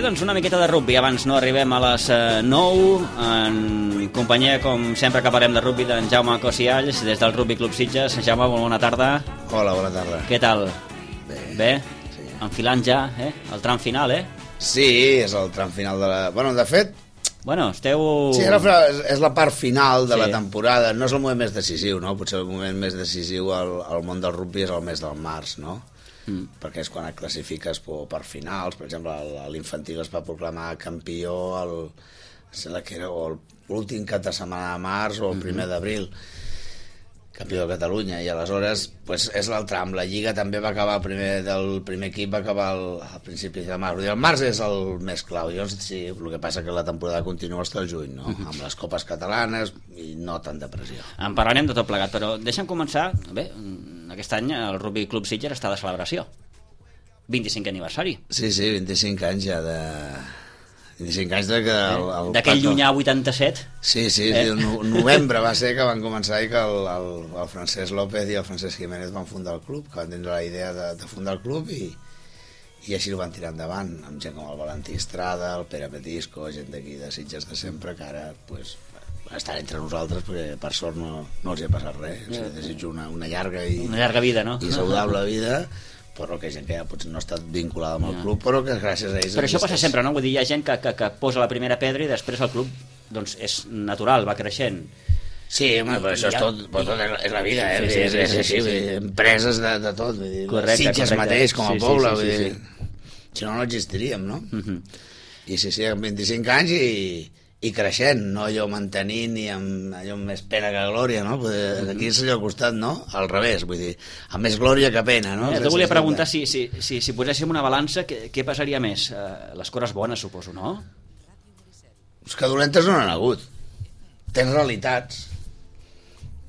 doncs una miqueta de rugby. Abans no arribem a les 9, en companyia, com sempre que parlem de rugby, d'en Jaume Cosialls, des del Rugby Club Sitges. Jaume, molt bona tarda. Hola, bona tarda. Què tal? Bé? Sí. Enfilant ja, el tram final, Sí, és el tram final de la... Bueno, de fet... Bueno, esteu... Sí, és la part final de la Sí. temporada. No és el moment més decisiu, no? Potser el moment més decisiu al món del rugby és el mes del març, no? Perquè és quan et classifiques per finals. Per exemple, l'infantil es va proclamar campió sembla que era l'últim cap de setmana de març o el primer d'abril, campió de Catalunya, i aleshores pues, és el tram. La Lliga també va acabar, el primer equip va acabar al principi de març. El març és el més clau. Llavors, sí, el que passa que la temporada continua fins al juny, no? Amb les copes catalanes i no tant de pressió. En parlarem de tot plegat, però deixa'm començar. Bé, aquest any el Rugby Club Sitges està de celebració. 25 aniversari. Sí, 25 anys ja de... 25 anys d'aquell llunyà 87. Sí, el novembre va ser que van començar i que el Francesc López i el Francesc Jiménez van fundar el club, que van tindre la idea de fundar el club i així el van tirar endavant, amb gent com el Valentí Estrada, el Pere Petisco, gent d'aquí de Sitges de sempre, que ara pues, estan entre nosaltres perquè per sort no els hi ha passat res. O sigui, desitjo una llarga vida, no? I saludable vida, però que gent que ja potser no ha estat vinculada amb el club, però que gràcies a ells... Però això passa sempre, no? Vull dir, hi ha gent que posa la primera pedra i després el club doncs, és natural, va creixent. Sí, home, però això és tot és la vida, és així, empreses de tot, vull dir, correcte, Sitges mateix com a poble, vull dir, sí. Si no existiríem, no? I sí, amb 25 anys i creixent, no allò mantenint i amb allò més pena que glòria, no? Aquí és allò al costat, no? Al revés, vull dir, amb més glòria que pena, no? Et volia preguntar si poséssim una balança, què passaria més? Les coses bones, suposo, no? És que dolentes no n'han hagut. Tens realitats,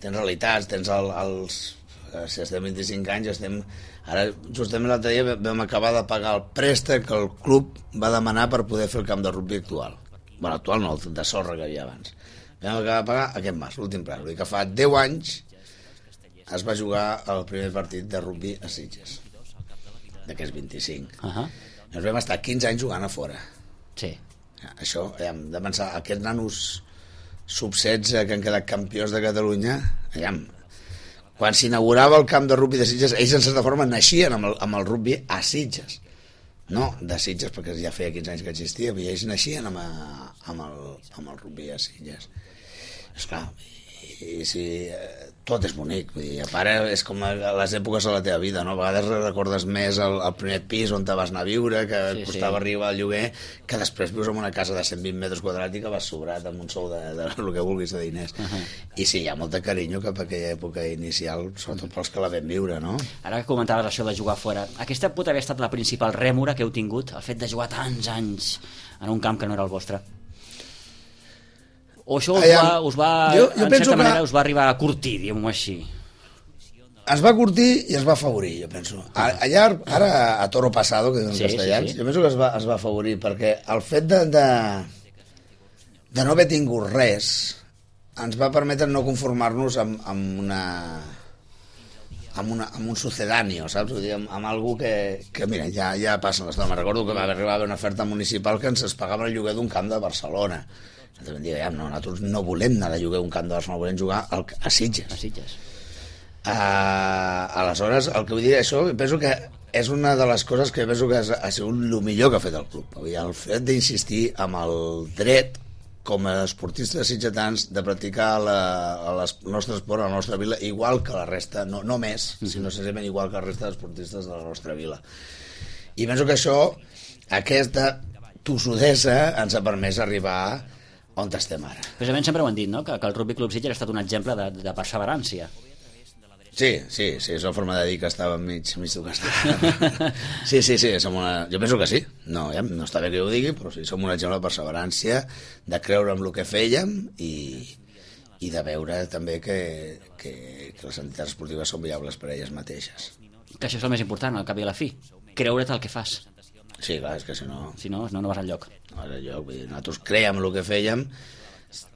tens els... Si estem 25 anys, ara, justament l'altre dia vam acabar de pagar el préstec que el club va demanar per poder fer el camp de rugby actual. Bueno, actual no, el de sorra que hi havia abans. Vam acabar de pagar aquest març, l'últim ple. Vull dir que fa 10 anys es va jugar el primer partit de rugby a Sitges, d'aquests 25. Ens vam estar 15 anys jugant a fora. Sí. Això, de pensar, aquests nanos sub-16 que han quedat campions de Catalunya, quan s'inaugurava el camp de rugby de Sitges, ells en certa forma naixien amb el rugby a Sitges. No de Sitges, perquè ja feia 15 anys que existia, però ells naixien amb el rugby a Sitges. Esclar, i si tot és bonic, vull dir, a part és com a les èpoques de la teva vida, no? A vegades recordes més el primer pis on te vas anar a viure, que costava arribar al lloguer, que després vius en una casa de 120 metres quadrats i que vas sobrat amb un sou de el que vulguis de diners. I sí, hi ha molta carinyo cap a aquella època inicial, sobretot pels que la vam viure, no? Ara que comentaves això de jugar fora, aquesta pot haver estat la principal rèmora que heu tingut, el fet de jugar tants anys en un camp que no era el vostre? O això us va en certa manera us va arribar a curtir, diguem-ho així? Es va curtir i es va afavorir, jo penso. Allà, ara a toro pasado, que diuen castellans, jo penso que es va afavorir, perquè el fet de no haver tingut res ens va permetre no conformar-nos amb un sucedáneo, saps? Vull dir, amb algú que mira, ja passen les dones. Recordo que va arribar a haver una oferta municipal que ens pagava el lloguer d'un camp de Barcelona. Nosaltres vam dir, nosaltres no volem anar de lloguer un camp de Barcelona, volem jugar a Sitges. Aleshores, el que vull dir, això penso que és una de les coses que penso que ha sigut el millor que ha fet el club. El fet d'insistir amb el dret com a esportistes sitgetans de practicar el nostre esport a la nostra vila igual que la resta, no més, sinó senzillament igual que la resta d'esportistes de la nostra vila. I penso que això, aquesta tossudesa ens ha permès arribar on estem ara. Precisament sempre ho han dit, no? Que el Rugby Club Sitges ha estat un exemple de perseverància. Sí, és la forma de dir que estava mig tocat. Sí, jo penso que sí. No està bé que ho digui, però sí, som un exemple de perseverància, de creure en el que fèiem i de veure també que les entitats esportives són viables per a elles mateixes. Que això és el més important, al cap i a la fi. Creure't el que fas. Sí, clar, és que si no... Si no vas enlloc. No vas enlloc, vull dir, nosaltres creiem el que fèiem,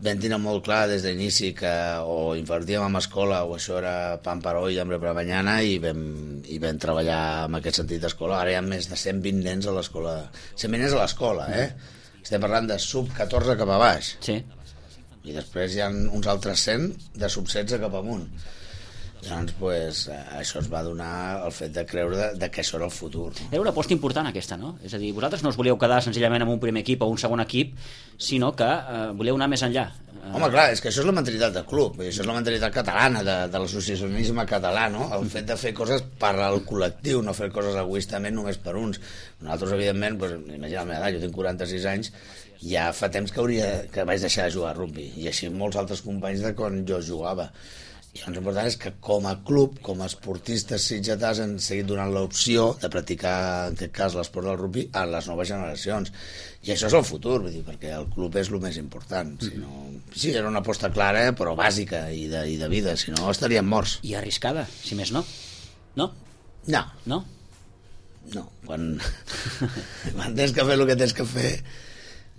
vam tenir molt clar des d'inici que o invertíem en escola o això era pan para hoy, hambre para mañana, i vam treballar en aquest sentit d'escola. Ara hi ha més de 120 nens a l'escola. 120 nens a l'escola, Estem parlant de sub-14 cap a baix. Sí. I després hi ha uns altres 100 de sub-16 cap amunt. Llavors, pues, això es va donar el fet de creure de que això era el futur. Era una aposta important aquesta, no? És a dir, vosaltres no us volíeu quedar senzillament amb un primer equip o un segon equip, sinó que voleu anar més enllà. Home, clar, és que això és la mentalitat del club, això és la mentalitat catalana, de l'associacionisme català, no? El fet de fer coses per al col·lectiu, no fer coses egoistament només per uns. Nosaltres, evidentment, pues, imagina la meva edat, jo tinc 46 anys, ja fa temps que vaig deixar de jugar a rugby, i així molts altres companys de quan jo jugava. I l'important és que com a club, com a esportistes sitgetars, han seguit donant l'opció de practicar, en aquest cas, l'esport del rugby a les noves generacions. I això és el futur, vull dir, perquè el club és el més important. Si no... Sí, era una aposta clara, però bàsica i de vida, si no estaríem morts. I arriscada, si més no. No? No. No? No. Quan tens que fer el que tens que fer...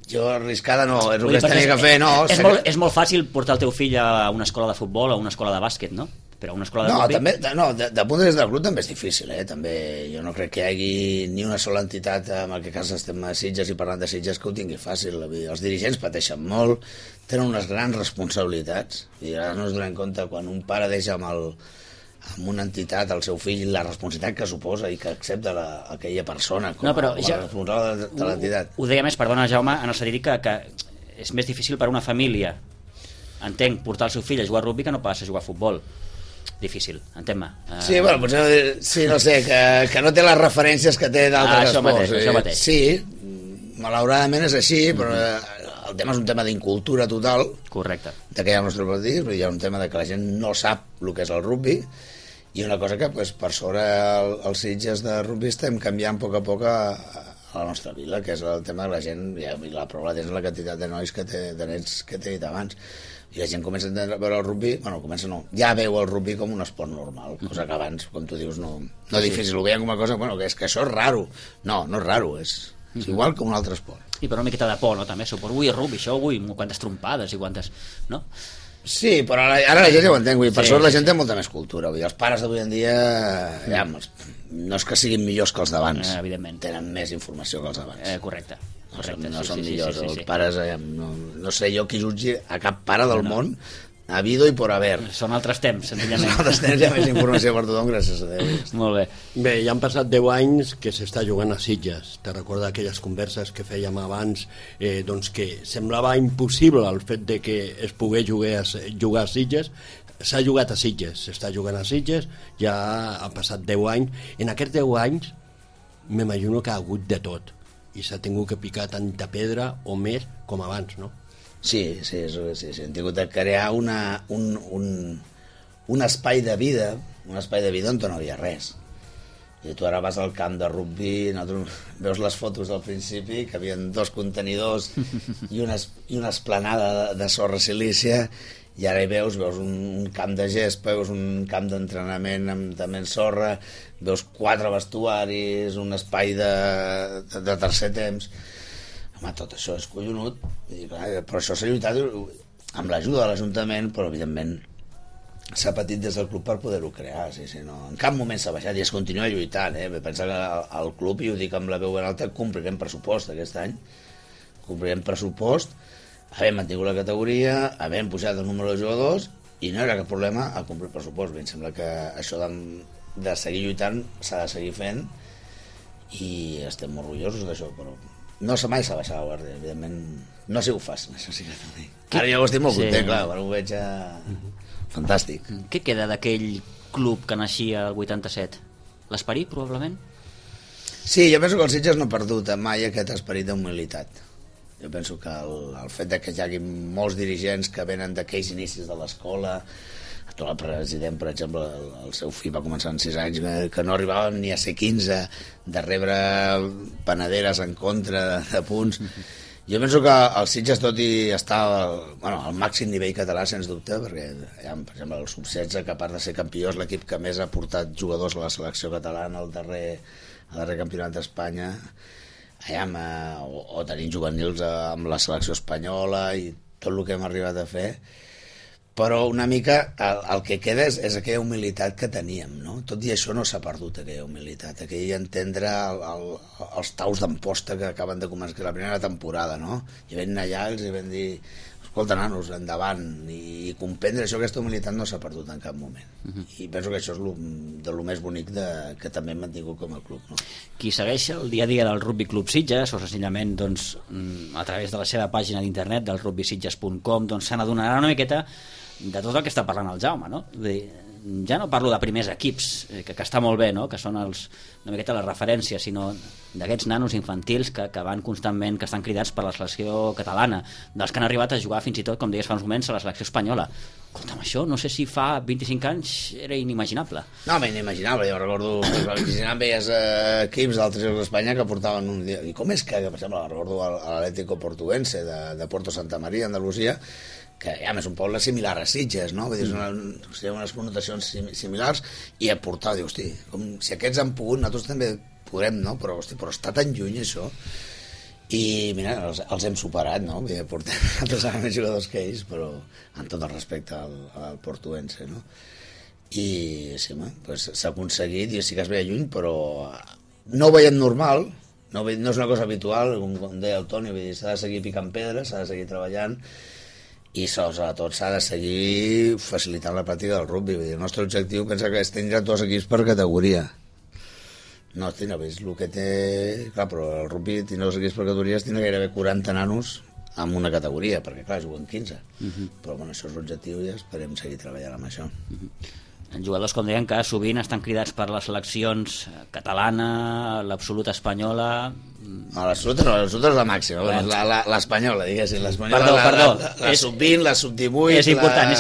Jo arriscada no, és el que es tenia que fer, no. És molt fàcil portar el teu fill a una escola de futbol o a una escola de bàsquet, no? Però a una escola de rugby... De punt de vista del club també és difícil, també. Jo no crec que hi hagi ni una sola entitat, en aquest cas estem a Sitges i parlant de Sitges, que ho tingui fàcil. Els dirigents pateixen molt, tenen unes grans responsabilitats, i ara no es donem compte quan un pare deixa amb una entitat, el seu fill, la responsabilitat que suposa i que accepta aquella persona com a responsable de l'entitat. Ho deia més, perdona Jaume, en el sentit que és més difícil per una família, entenc, portar el seu fill a jugar a rugby que no pas a jugar a futbol. Difícil, entén-me. Sí, bueno, potser, sí, no sé, que no té les referències que té d'altres esports. Això mateix. Sí, malauradament és així, però el tema és un tema d'incultura total. Correcte. De que hi ha el nostre país, hi ha un tema de que la gent no sap el que és el rugby, i una cosa que pues, per sobre els Sitges de rugby estem canviant a poc a la nostra vila, que és el tema de la gent, i la prova és la quantitat de nois de nens que t'he dit abans, i la gent comença a veure el rugby, ja veu el rugby com un esport normal, cosa que abans, com tu dius, no difícil, ho veien com una cosa, que és que això és raro. No és raro, és igual que un altre esport. I per una miqueta de por, no? També, suposo, ui, rugby, això, ui, quantes trompades i quantes... no? Sí, però ara la gent ja ho entén, per sort la gent té molta més cultura, vull dir, els pares d'avui en dia no és que siguin millors que els d'abans, tenen més informació que els d'abans. Correcte. No són millors, els pares, no sé jo qui jutgi a cap pare del món, habido i por haver. Són altres temps, senzillament. Són altres temps, hi ha més informació per tothom, gràcies a Déu. Molt bé. Bé, ja han passat 10 anys que s'està jugant a Sitges. Te recorda aquelles converses que fèiem abans, doncs que semblava impossible el fet de que es pogués jugar a Sitges. S'ha jugat a Sitges, s'està jugant a Sitges, ja ha passat 10 anys. En aquests 10 anys m'imagino que ha hagut de tot i s'ha tingut que picar tanta pedra o més com abans, no? Sí, hem tingut de crear un espai de vida, on no havia res. I tu ara vas al camp de rugby, veus les fotos del principi, que havia 2 contenidors i una esplanada de sorra silícia, i ara hi veus un camp de gespa, veus un camp d'entrenament també en sorra, veus 4 vestuaris, un espai de tercer temps. Home, tot això és collonut, però això s'ha lluitat amb l'ajuda de l'Ajuntament, però evidentment s'ha patit des del club per poder-ho crear, no, en cap moment s'ha baixat i es continua lluitant, pensa que el club, i ho dic amb la veu ben alta, complirem pressupost aquest any, complirem pressupost, havent mantingut la categoria, havent pujat el número de jugadors, i no hi haurà cap problema a complir pressupost. Em sembla que això de seguir lluitant s'ha de seguir fent, i estem molt orgullosos d'això, però no mai s'ha baixat la guàrdia, evidentment no ha sigut fàcil, això sí que t'ho dic. Ara jo estic molt content, clar, ara ho veig fantàstic. Què queda d'aquell club que naixia el 87? L'esperit, probablement? Sí, jo penso que el Sitges no ha perdut mai aquest esperit d'humilitat. Jo penso que el fet que hi hagi molts dirigents que venen d'aquells inicis de l'escola, el president, per exemple, el seu fill va començar en 6 anys, que no arribaven ni a ser 15, de rebre panaderes en contra de punts. Jo penso que el Sitges, tot i estar al màxim nivell català, sens dubte, perquè, per exemple, el sub-16, que a part de ser campió, és l'equip que més ha portat jugadors a la selecció catalana al darrer campionat d'Espanya, o tenim juvenils amb la selecció espanyola, i tot el que hem arribat a fer, però una mica el que queda és aquella humilitat que teníem, no? Tot i això no s'ha perdut aquella humilitat, aquell entendre els taus d'amposta que acaben de començar la primera temporada, no? I vam anar allà, els vam dir escolta, nanos, endavant, i comprendre això, aquesta humilitat no s'ha perdut en cap moment. I penso que això és de lo més bonic que també hem mantingut com a club, no? Qui segueix el dia a dia del Rugby Club Sitges, o senzillament doncs, a través de la seva pàgina d'internet del rugbysitges.com, doncs se n'adonarà una miqueta de tot el que està parlant el Jaume, no? Ja no parlo de primers equips, que està molt bé, no? Que són una miqueta les referències, sinó d'aquests nanos infantils que van constantment, que estan cridats per la selecció catalana, dels que han arribat a jugar fins i tot, com deies fa uns moments, a la selecció espanyola. Escolta'm, això no sé si fa 25 anys era inimaginable. No, inimaginable, jo recordo que als 25 anys veies equips d'altres llocs d'Espanya que portaven un dia, i com és que per exemple, recordo l'Atlético Portuense de Puerto Santa Maria, Andalusia, que ja és un poble similar a Sitges, no? Vull dir, unes connotacions similars, i aportar, diu, hosti, com si aquests han pogut, nosaltres també podrem, no? Però està tan lluny això, i mira, els hem superat, no? Vull dir, portem altres més jugadors que ells, però amb tot el respecte al portuense, no? I sí, pues, s'ha aconseguit, i sí que es veia lluny, però no ho veiem normal, no és una cosa habitual, com deia el Toni, vull dir, s'ha de seguir picant pedres, s'ha de seguir treballant, i sobretot s'ha de seguir facilitant la pràctica del rugby. Vull dir, el nostre objectiu pensa que és tindre 2 equips per categoria. No, tindre, és el que té... Clar, però el rugby tindre 2 equips per categories, tindre gairebé 40 nanos en una categoria, perquè clar, juguen 15. Però bueno, això és l'objectiu i esperem seguir treballant amb això. Jugadors, com deien, que sovint estan cridats per les seleccions catalana, l'absoluta espanyola... No, l'absoluta és la màxima, l'espanyola, diguéssim. Perdó. La sub-20, la sub-18... És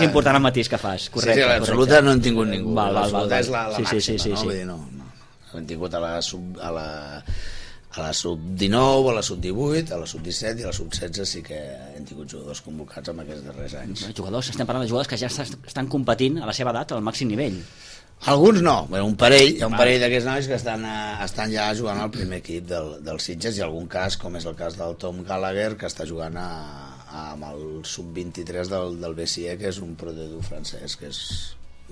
important el matís que fas, correcte. Sí, l'absoluta no hem tingut ningú. L'absoluta és la màxima, no? Vull dir, no. Hem tingut a la sub-19, a la sub-18, a la sub-17 i a la sub-16 sí que hem tingut jugadors convocats en aquests darrers anys. Estem parlant de jugadors que ja estan competint a la seva edat al màxim nivell. Alguns no, hi ha un parell d'aquests nois que estan ja jugant al primer equip del Sitges, i algun cas, com és el cas del Tom Gallagher, que està jugant amb el sub-23 del BCE, que és un prodedu francès, que és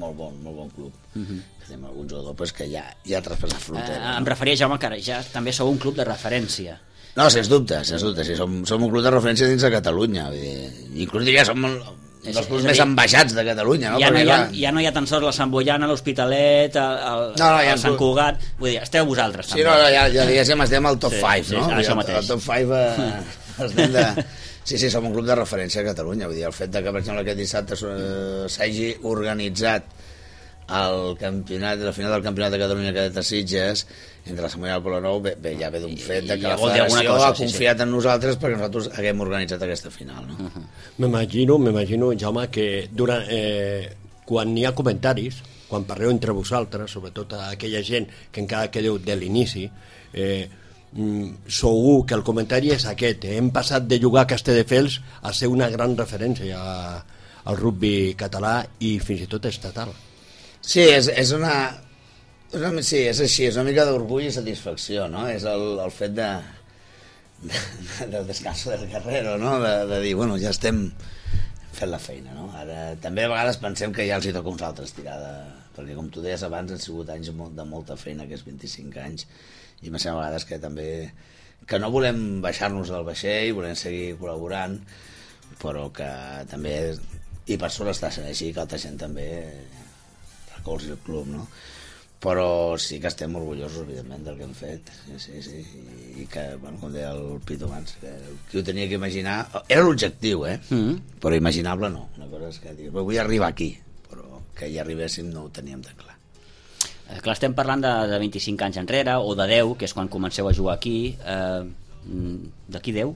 molt bon club. Que tenim algun jugador que ja ha traspassat frontera. Em referia, Jaume, que ara ja també sou un club de referència. No, sens dubte, sí, som un club de referència dins de Catalunya. Inclús diria, som dels clubs més ambaixats de Catalunya, no? Ja no hi ha tan sols la Sant Boiana, l'Hospitalet, el Sant Cugat, vull dir, esteu vosaltres també. Sí, ja diguéssim, estem al top 5, no? Això mateix. Al top 5 estem de... Sí, som un club de referència a Catalunya, vull dir, el fet que, per exemple, aquest dissabte s'hagi organitzat el campionat, la final del campionat de Catalunya Cadet de Sitges entre la Samuel i el Polonou, ja ve d'un fet que la federació ha confiat en nosaltres perquè nosaltres haguem organitzat aquesta final, no? M'imagino, Jaume, que quan hi ha comentaris, quan parleu entre vosaltres, sobretot a aquella gent que encara quedeu de l'inici, segur que el comentari és aquest: hem passat de jugar a Castelldefels a ser una gran referència al rugby català i fins i tot estatal. Sí, és així, és una mica d'orgull i satisfacció, no? És el fet del descanso del guerrero, no? De dir, bueno, ja estem fent la feina, no? Ara, també a vegades pensem que ja els hi toca uns altres tirada, perquè com tu deies abans han sigut anys de molta feina, aquests 25 anys, i pensem a vegades que també que no volem baixar-nos del vaixell, volem seguir col·laborant, però que també, i per sort està sent així, que altra gent també recolzi el club, no? Però sí que estem orgullosos, evidentment, del que hem fet, sí, i que, bueno, com deia el Pito abans, que qui ho tenia que imaginar, era l'objectiu, però imaginable no, una cosa és que dir, vull arribar aquí, però que hi arribéssim no ho teníem tan clar. Clar, estem parlant de 25 anys enrere, o de 10, que és quan comenceu a jugar aquí. D'aquí 10,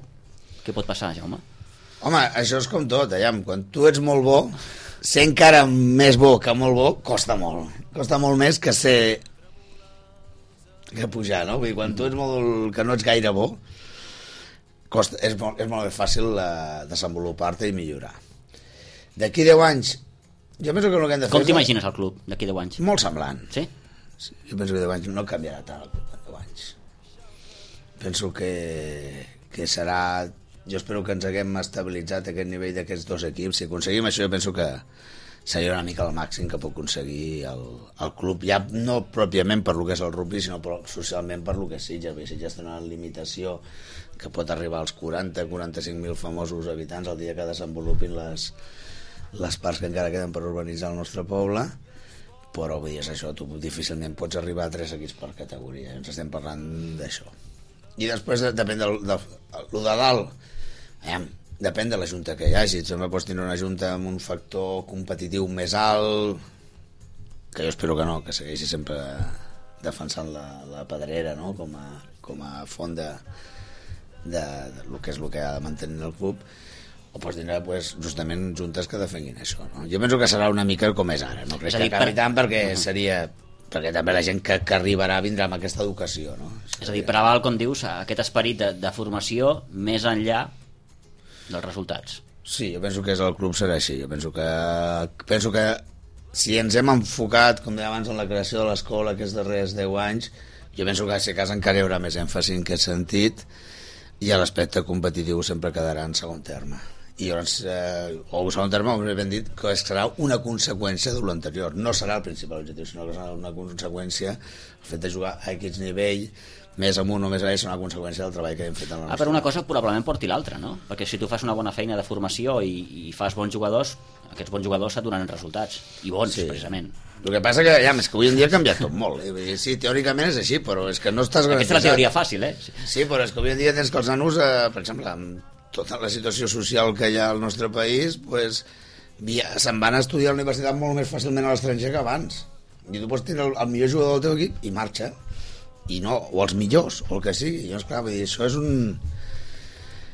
què pot passar, Jaume? Home, això és com tot, quan tu ets molt bo, ser encara més bo que molt bo costa molt més que pujar, no? Vull dir, quan tu ets que no ets gaire bo, és molt més fàcil desenvolupar-te i millorar. D'aquí 10 anys, jo penso que el que hem de fer... Com t'imagines el club d'aquí 10 anys? Molt semblant. Sí? Jo penso que 10 anys no canviarà tant el club en 10 anys. Penso que serà jo espero que ens haguem estabilitzat aquest nivell d'aquests dos equips. Si aconseguim això, jo penso que seria una mica el màxim que pot aconseguir el club, ja no pròpiament per lo que és el rugby, sinó socialment per lo que és Sitges. Sitges té una limitació que pot arribar als 40-45.000 famosos habitants el dia que desenvolupin les parts que encara queden per urbanitzar el nostre poble, però vull dir, és això, tu difícilment pots arribar a 3 equips per categoria, ens estem parlant d'això. I després depèn de lo de dalt, depèn de la junta que hi hagi. També pots tenir una junta amb un factor competitiu més alt, que jo espero que no, que segueixi sempre defensant la Pedrera, no? com a font de lo que és el que ha de mantenir el club, o pots tindre justament juntes que defenguin això, no? Jo penso que serà una mica com és ara, no crec que acabi tant, perquè també la gent que arribarà vindrà amb aquesta educació, no? És a dir, preval, com dius, aquest esperit de formació més enllà dels resultats. Sí, jo penso que el club serà així. Jo penso que si ens hem enfocat, com deia abans, en la creació de l'escola aquests darrers 10 anys, jo penso que si a casa encara hi haurà més èmfasi en aquest sentit, i l'aspecte competitiu sempre quedarà en segon terme. I llavors, o segon terme, com ben dit, que serà una conseqüència de l'anterior. No serà el principal objectiu, sinó que serà una conseqüència. El fet de jugar a aquest nivell, més amunt o més avall, serà una conseqüència del treball que hem fet en la nostra. Però una cosa probablement porti l'altra, no? Perquè si tu fas una bona feina de formació i fas bons jugadors, aquests bons jugadors et donen resultats, i bons, sí, precisament. El que passa que, és que avui en dia ha canviat tot molt. Sí, teòricament és així, però és que no estàs garantitzat. Aquesta és la teoria fàcil, Sí, però és que avui en dia tens que els nanos, per exemple, amb tota la situació social que hi ha al nostre país, se'n van a estudiar a la universitat molt més fàcilment a l'estranger que abans. I tu pots tenir el millor jugador del teu equip i marxa. I no, o els millors, o el que sigui. Llavors, clar, vull dir, això és un...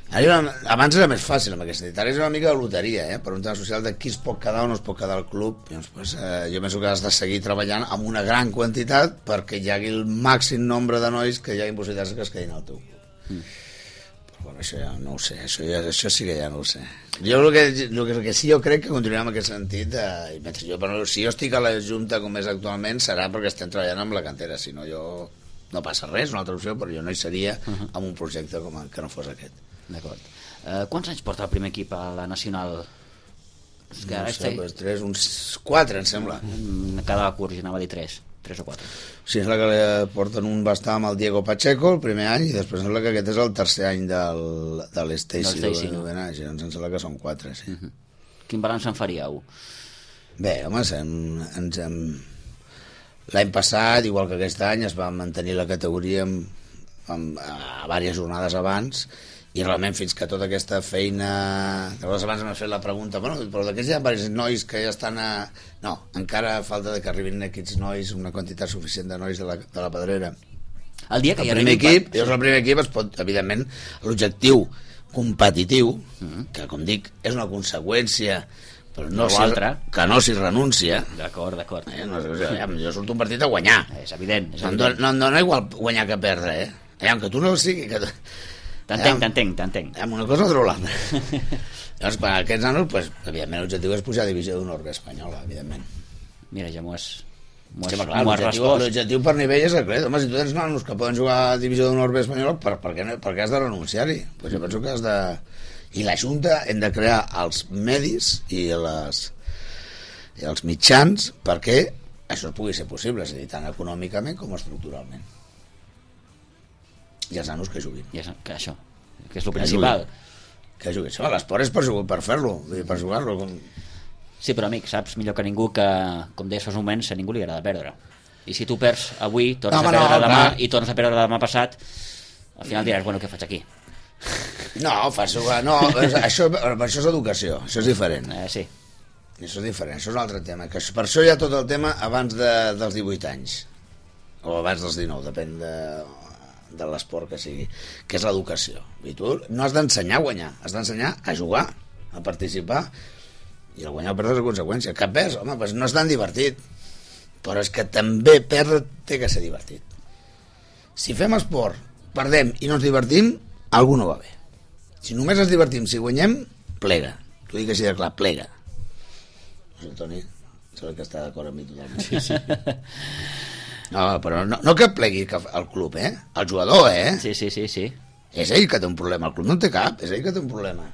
Abans era més fàcil amb aquest sentit, ara és una mica de loteria, per un tema social de qui es pot quedar o no es pot quedar al club. Llavors, jo penso que has de seguir treballant amb una gran quantitat perquè hi hagi el màxim nombre de nois que hi hagi possibilitats que es quedin al teu club. Però bueno, això ja no ho sé, això sí que ja no ho sé. Jo el que sí, jo crec que continuarem en aquest sentit, si jo estic a la Junta com és actualment serà perquè estem treballant amb la cantera, si no jo no passa res, una altra opció, però jo no hi seria amb un projecte com que no fos aquest. D'acord. Quants anys porta el primer equip a la Nacional? No sé, uns 4, em sembla. Cada curs, anava a dir 3 o 4. Sí, és la que porten va estar amb el Diego Pacheco el primer any, i després sembla que aquest és el tercer any de l'Stacy, doncs em sembla que són 4, sí. Quin balanç en faríeu? Bé, home, l'any passat, igual que aquest any, es va mantenir la categoria a diverses jornades abans, i realment fins que tota aquesta feina... Llavors abans m'ha fet la pregunta, però d'aquests hi ha diversos nois que ja estan a... No, encara falta que arribin aquests nois, una quantitat suficient de nois de la Pedrera. El dia que el primer equip es pot, evidentment, l'objectiu competitiu, que com dic, és una conseqüència, però que no s'hi renuncia. D'acord. Jo surto un partit a guanyar. És evident. No em dona igual guanyar que perdre, que tu no ho sigui... T'entenc. Amb una cosa o de l'altra. Llavors, per aquests nanos, evidentment, l'objectiu és pujar a divisió d'honor espanyola, evidentment. Mira, ja m'ho has respost. L'objectiu per nivell és aquest. Home, si tu tens nanos que poden jugar a divisió d'honor espanyola, per què has de renunciar-hi? Jo penso que has de... I la Junta hem de crear els medis i els mitjans perquè això pugui ser possible, és a dir, tant econòmicament com estructuralment. I els nanos que juguin. Que això, que és el principal. Que juguin. L'esport és per fer-lo, per jugar-lo. Sí, però amic, saps millor que ningú que, com deies fa un moment, a ningú li agrada perdre. I si tu perds avui, tornes a perdre demà i tornes a perdre demà passat, al final diràs, bueno, què faig aquí? No, fas jugar... No, això és educació, això és diferent. Sí. Això és diferent, això és un altre tema. Per això hi ha tot el tema abans dels 18 anys. O abans dels 19, depèn de l'esport que sigui, que és l'educació. I tu no has d'ensenyar a guanyar, has d'ensenyar a jugar, a participar, i el guanyar o perdre és la conseqüència. Que perds, home, no és tan divertit, però és que també perdre té que ser divertit. Si fem esport, perdem i no ens divertim, algú no va bé. Si només ens divertim, si guanyem, plega. T'ho dic així de clar, plega. No sé, Toni, sembla que està d'acord amb mi totalment. Sí. No, però no que plegui el club, el jugador, Sí. És ell que té un problema, el club no en té cap, és ell que té un problema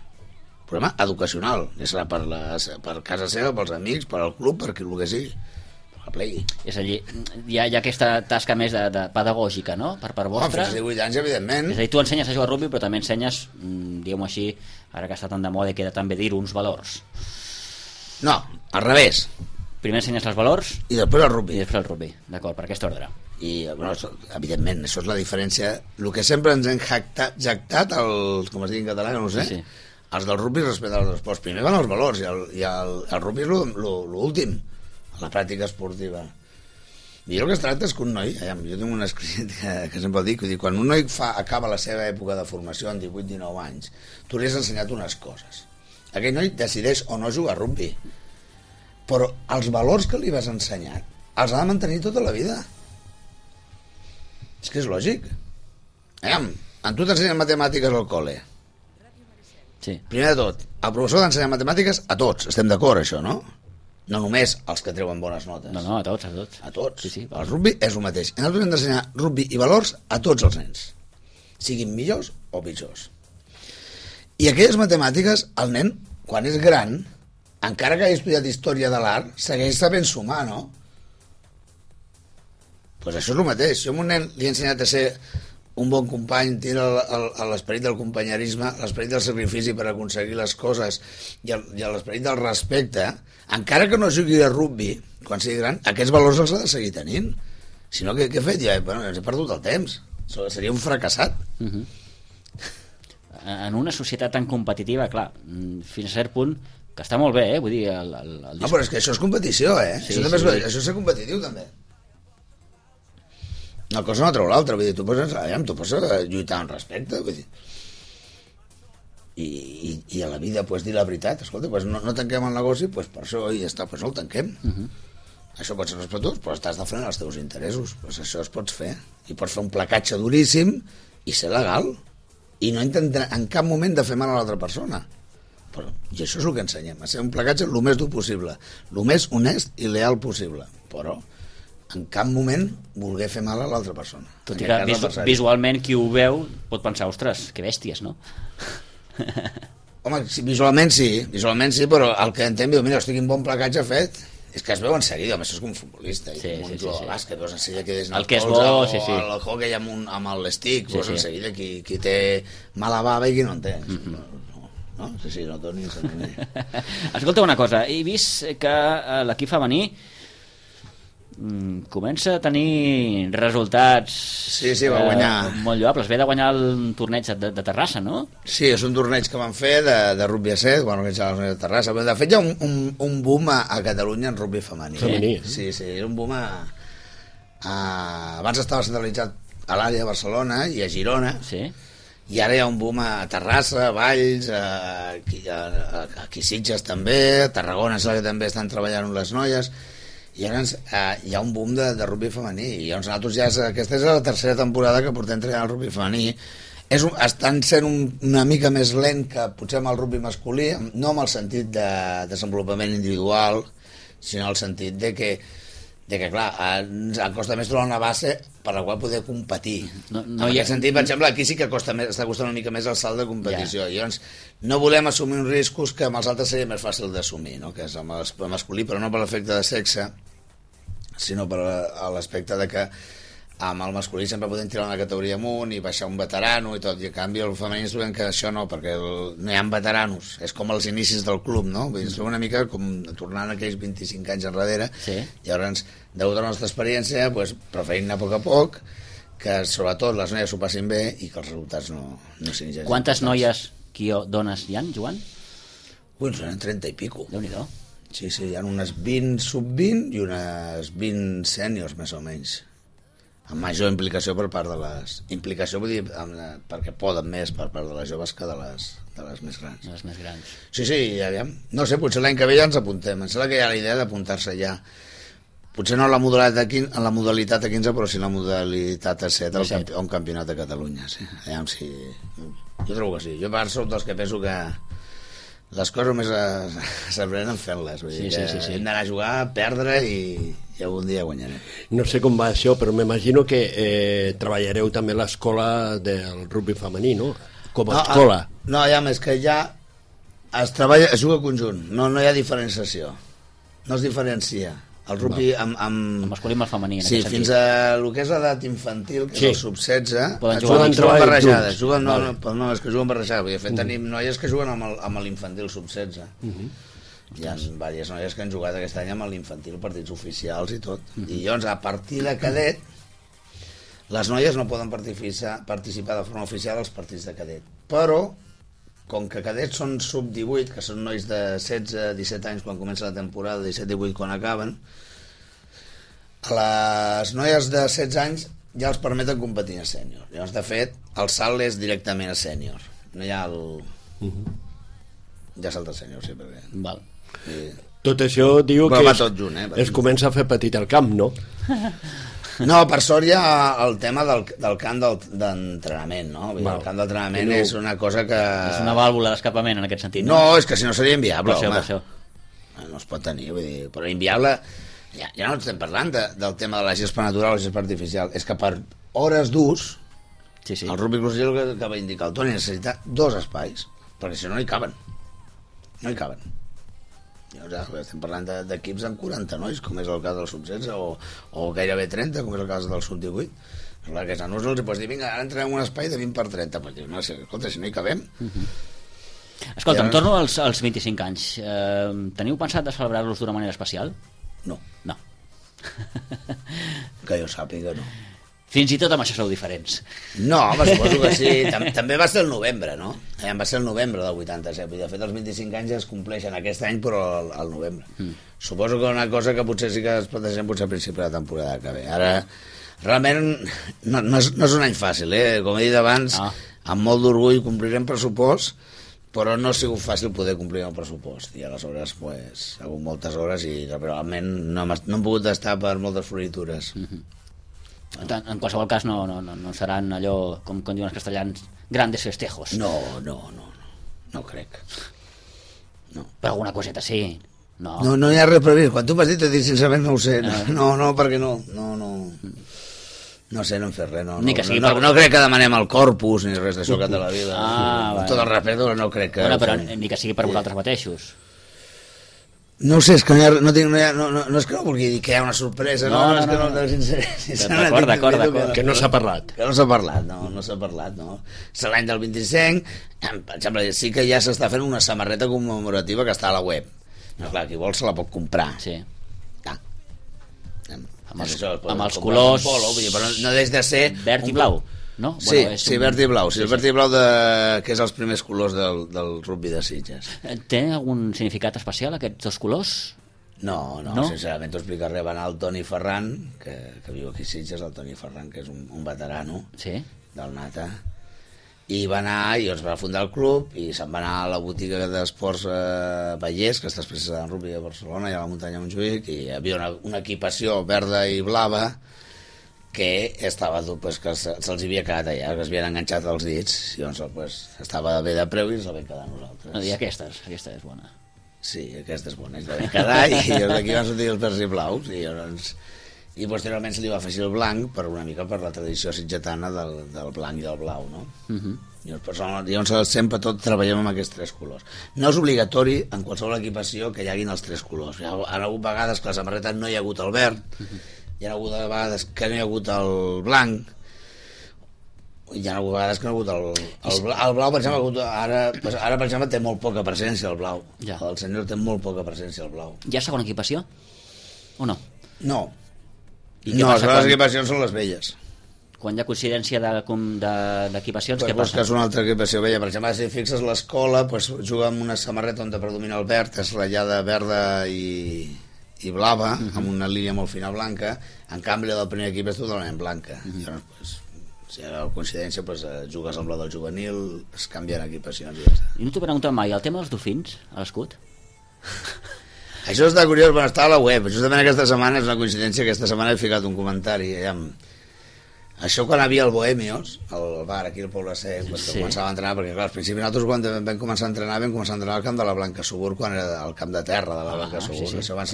educacional, ja serà per casa seva, pels amics, per al club, per qui el que sigui, per la play. És a dir, hi ha aquesta tasca més de pedagògica, no?, per vostra. Fins a 18 anys, evidentment. És a dir, tu ensenyes a jugar a rugby, però també ensenyes, diguem-ho així, ara que està tan de moda i queda tan bé dir, uns valors. No, al revés. Primer ensenyes els valors i després el rugby. I després el rugby, d'acord, per aquest ordre. I, bueno, evidentment, això és la diferència. El que sempre ens hem jactat, com es diu en català, no ho sé, sí. Els del rugby respecte als esports. Primer van els valors i el rugby és l'últim, la pràctica esportiva. I el que es tracta és que un noi, jo tinc un escrit que sempre dic, quan un noi acaba la seva època de formació en 18-19 anys, tu li has ensenyat unes coses. Aquell noi decideix o no jugar a rugby, però els valors que li vas ensenyar els ha de mantenir tota la vida. És que és lògic. En tu t'ensenyen matemàtiques al col·le. Sí. Primer de tot, el professor t'ensenya matemàtiques a tots, estem d'acord, això, no? No només els que treuen bones notes. No, a tots. A tots. Sí, el rugby és el mateix. I nosaltres hem d'ensenyar rugby i valors a tots els nens, siguin millors o pitjors. I aquelles matemàtiques, el nen, quan és gran, encara que hagi estudiat història de l'art, segueix sabent sumar, no? Doncs això és el mateix. Si a un nen li he ensenyat a ser un bon company, tira l'esperit del companyerisme, l'esperit del sacrifici per aconseguir les coses i l'esperit del respecte, encara que no jugui a rugby quan sigui gran, aquests valors els ha de seguir tenint. Si no, què he fet? Bueno, ens he perdut el temps. Seria un fracassat. En una societat tan competitiva, clar, fins a cert punt, que està molt bé, vull dir... No, però és que això és competició, Sí, això és ser competitiu, també. Una cosa no treu l'altra, vull dir, tu pots lluitar amb respecte, vull dir. I a la vida pots dir la veritat, escolta, no tanquem el negoci, per això ja està, no el tanquem. Això pot ser respectuós, però estàs defensant els teus interessos, això es pots fer. I pots fer un placatge duríssim i ser legal, i no intentar en cap moment de fer mal a l'altra persona. I això és el que ensenyem, a ser un placatge el més dur possible, el més honest i leal possible, però en cap moment voler fer mal a l'altra persona. Tot i que visualment qui ho veu pot pensar, ostres, que bèsties, no? Home, visualment sí, però el que entenc, mira, hosti, quin bon placatge ha fet. És que es veu en seguida, això és com un futbolista, un jugador de bàsquet, veus en seguida que des el que és bo, o el hockey amb l'estic, veus en seguida qui té mala bava i qui no en té. No? Sí, no torni a sentir. Escolta una cosa, he vist que l'equip femení comença a tenir resultats va guanyar molt lloables. Ve de guanyar el torneig de Terrassa, no? Sí, és un torneig que van fer de rugby a 7, bueno, que és el torneig de Terrassa. De fet, hi ha un boom a Catalunya en rugby femení. Sí, és un boom abans estava centralitzat a l'àrea de Barcelona i a Girona, i ara hi ha un boom a Terrassa, a Valls, aquí a Sitges també, a Tarragona que també estan treballant amb les noies. I llavors hi ha un boom de rugby femení, i llavors nosaltres aquesta és la tercera temporada que portem treballant el rugby femení. Estan sent una mica més lent que potser amb el rugby masculí, no amb el sentit de desenvolupament individual, sinó en el sentit de que clar, ens costa més trobar una base per la qual poder competir. En aquest sentit, per exemple, aquí sí que està costant una mica més el salt de competició. Llavors, no volem assumir uns riscos que amb els altres seria més fàcil d'assumir, no? Que és amb el masculí, però no per l'efecte de sexe, sinó per l'aspecte de que amb el masculí sempre podem tirar una categoria amunt i baixar un veterano i tot, i a canvi el femení ens trobem que això no, perquè no hi ha veteranos, és com els inicis del club, no? Vull dir, ens trobem una mica com tornant aquells 25 anys enrere, i llavors, degut a la nostra experiència, preferim anar a poc, que sobretot les noies s'ho passin bé i que els resultats no siguin gens. Quantes noies, dones hi ha, Joan? Són 30 i pico. Déu-n'hi-do. Sí, hi ha unes 20 sub-20 i unes 20 sèniors, més o menys, amb major implicació per part de les... Implicació vull dir perquè poden més per part de les joves que de les més grans. Les més grans. Sí, aviam. No sé, potser l'any que ve ja ens apuntem. Em sembla que hi ha la idea d'apuntar-se ja. Potser no en la modalitat a 15, però sí en la modalitat a 7 a un campionat de Catalunya. Sí. Aviam si... Jo trobo que sí. Jo soc dels que penso que les coses només s'aprenen fent-les. Sí. Hem d'anar a jugar, perdre i i algun dia guanyarem. No sé com va això, però m'imagino que treballareu també l'escola del rugby femení, no? Com a escola. No, ja més que ja es juga conjunt, no hi ha diferenciació, no es diferencia el rugby amb masculí i el femení. Sí, fins a el que és l'edat infantil, que és el sub-16, juguen barrejades. No, és que juguen barrejades. De fet, tenim noies que juguen amb l'infantil sub-16. Hi ha diverses noies que han jugat aquest any amb l'infantil, partits oficials i tot. I llavors, a partir de cadet, les noies no poden participar de forma oficial als partits de cadet. Però, com que cadets són sub-18, que són nois de 16-17 anys quan comença la temporada, 17-18 quan acaben, a les noies de 16 anys ja els permeten competir a sènior. Llavors, de fet, el salt és directament a sènior. No hi ha el... Ja salta a sènior, sí, perquè... Val. Tot això diu que es comença a fer petit al camp, no? No, per sort hi ha el tema del camp d'entrenament, no? El camp d'entrenament és una cosa que... És una vàlvula d'escapament en aquest sentit, no? No, és que si no seria inviable, home. Per això. No es pot tenir, vull dir... Però inviable... Ja no estem parlant del tema de la gespa natural o la gespa artificial. És que per hores d'ús, el rugby club que va indicar el Toni necessita 2 espais, perquè si no hi caben. No hi caben. Ja, estem parlant d'equips amb 40 nois, com és el cas del sub-16, o gairebé 30, com és el cas del sub-18. Clar, que a nosaltres els pots dir, vinga, ara entrem un espai de 20 per 30. Pues dius, no, escolta, si no hi cabem... Escolta, em torno als 25 anys. Teniu pensat de celebrar-los d'una manera especial? No. No. Que jo sàpiga, no. Fins i tot amb això sou diferents. No, home, suposo que sí. També va ser el novembre, no? Va ser el novembre del 87. De fet, els 25 anys ja es compleixen aquest any, però al novembre. Suposo que una cosa que potser sí que es plantegem potser a principi de la temporada que ve. Ara, realment, no és un any fàcil, eh? Com he dit abans, amb molt d'orgull complirem pressupost, però no ha sigut fàcil poder complir el pressupost. I aleshores, pues, ha hagut moltes hores i realment no hem pogut estar per moltes floritures. En qualsevol cas no seran allò, com diuen els castellans, grandes festejos. No crec. No. Però alguna coseta sí. No hi ha res previst. Quan tu m'has dit, t'he dit sincerament no ho sé. No, perquè no sé, no hem fet res. No crec que demanem el corpus ni res d'això que té la vida. Tot el respecte, no crec que... Però ni que sigui per vosaltres mateixos. No ho sé, és que no és que no vulgui dir que hi ha una sorpresa, D'acord. Que no s'ha parlat. Que no s'ha parlat, no s'ha parlat, no. És l'any del 25, per exemple, sí que ja s'està fent una samarreta commemorativa que està a la web. No, clar, qui vol se la pot comprar. Sí. Amb els colors... Però no deix de ser... Verd i blau. No? Sí, verd i blau. Sí, el verd i blau que és els primers colors del rugby de Sitges. Té algun significat especial aquests dos colors? No, sincerament t'ho explicaré. Va anar el Toni Ferran, que viu aquí a Sitges, el Toni Ferran, que és un veterano del Nata, i va anar i es va fundar el club i se'n va anar a la botiga d'esports Vallès, que està especialitzada en rugby a Barcelona i a la muntanya de Montjuïc, i hi havia una equipació verda i blava que estava pues, que se'ls havia quedat allà, que es havien enganxat els dits, i llavors pues, estava bé de preu i ens la vam quedar nosaltres. I aquesta és bona. Sí, aquesta és bona, ens la vam quedar i d'aquí van sortir els verds i blaus i posteriorment se li va afegir el blanc per una mica per la tradició sitgetana del blanc i del blau, no? Llavors sempre tot treballem amb aquests 3 colors. No és obligatori en qualsevol equipació que hi haguin els 3 colors. Hi ha hagut vegades que a la samarreta no hi ha hagut el verd, hi ha hagut vegades que no hi ha hagut el blanc, hi ha hagut vegades que no hi ha hagut el blau, per exemple, ara per exemple té molt poca presència el blau. El senyor té molt poca presència el blau. Hi ha segona equipació? O no? No, les equipacions són les velles. Quan hi ha coincidència d'equipacions, què passa? Que és una altra equipació vella. Per exemple, si fixes l'escola, juga amb una samarreta on predomina el verd, és ratllada verda i blava, amb una línia molt fina blanca. En canvi, la del primer equip és totalment blanca. Llavors, si hi ha coincidència, jugues amb la del juvenil, es canvien equipacions i ja està. I no t'ho preguntat mai, el tema dels dofins, a l'escut? Això està curiós, està a la web. Justament aquesta setmana és una coincidència, aquesta setmana he ficat un comentari Això quan hi havia el Bohemios, el bar aquí al Poble Sec, que començava a entrenar, perquè clar, al principi nosaltres quan vam començar a entrenar al camp de la Blanca Subur, quan era el camp de terra de la Blanca Subur.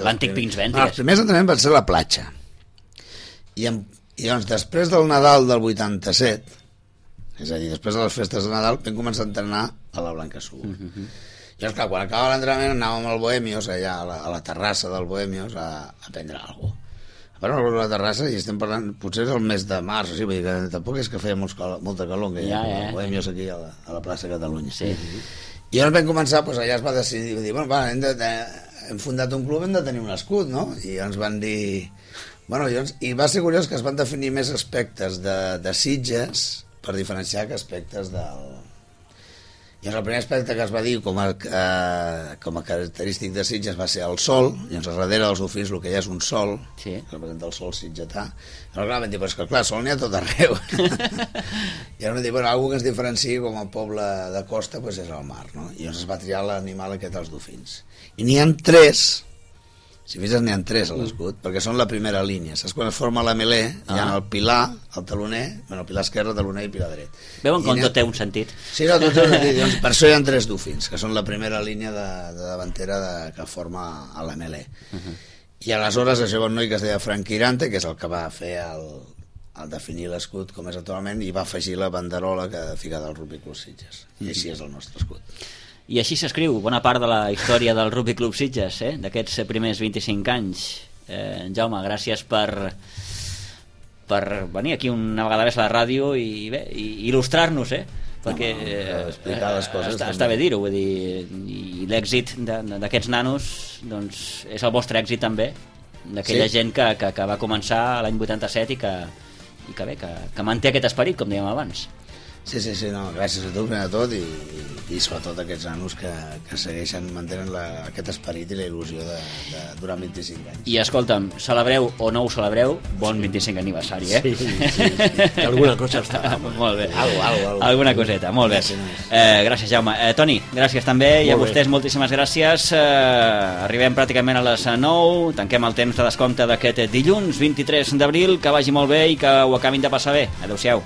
L'antic Pins Vènties. Els primers entrenaments van ser a la platja. I doncs després del Nadal del 87, és a dir, després de les festes de Nadal, vam començar a entrenar a la Blanca Subur. I doncs clar, quan acabava l'entrenament anàvem al Bohemios, allà a la terrassa del Bohemios, a prendre alguna cosa. Però a la terrassa, i estem parlant, potser és el mes de març, vull dir que tampoc és que feia molta calor, que hi ha Bohemios aquí a la plaça Catalunya. Sí. I llavors vam començar, doncs allà es va decidir, bueno, hem fundat un club, hem de tenir un escut, no? I ens van dir... Bueno, i va ser curiós que es van definir més aspectes de Sitges per diferenciar que aspectes del... I el primer aspecte que es va dir com a característic de Sitges va ser el sol, i llavors darrere dels dofins el que hi ha és un sol, que representa el sol sitgetà. Llavors clar, vam dir, però és que clar, sol n'hi ha tot arreu. I llavors vam dir, bueno, alguna que ens diferenciï com a poble de costa doncs és el mar, no? I llavors es va triar l'animal aquest dels dofins. I n'hi ha 3, si fixes n'hi ha 3 a l'escut, perquè són la primera línia. Saps quan es forma la melé, hi ha el pilar, el taloner, el pilar esquerre, taloner i pilar dret. Veuen com tot té un sentit. Sí, no, tot té un sentit. Doncs per això hi ha 3 dofins, que són la primera línia de davantera que forma a la melé. I aleshores això va un noi que es deia Frank Quirante, que és el que va fer el definir l'escut com és actualment, i va afegir la banderola que fica del Rugby Club Sitges. I així és el nostre escut. I així s'escriu bona part de la història del Rugby Club Sitges, d'aquests primers 25 anys. Jaume, gràcies per venir aquí una vegada més a la ràdio i il·lustrar-nos, perquè explicar les coses està bé dir-ho, vull dir, i l'èxit d'aquests nanos doncs, és el vostre èxit també, d'aquella gent que va començar l'any 87 i que manté aquest esperit, com dèiem abans. Sí, no, gràcies a tu, primer de tot, i sobretot aquests nanos que segueixen mantenint aquest esperit i la il·lusió durant 25 anys. I escolta'm, celebreu o no ho celebreu, bon 25 aniversari, Sí. Alguna cosa està. Molt bé. Algo. Alguna coseta, molt bé. Gràcies, Jaume. Toni, gràcies també, i a vostès moltíssimes gràcies. Arribem pràcticament a les 9, tanquem el temps de descompte d'aquest dilluns 23 d'abril, que vagi molt bé i que ho acabin de passar bé. Adéu-siau.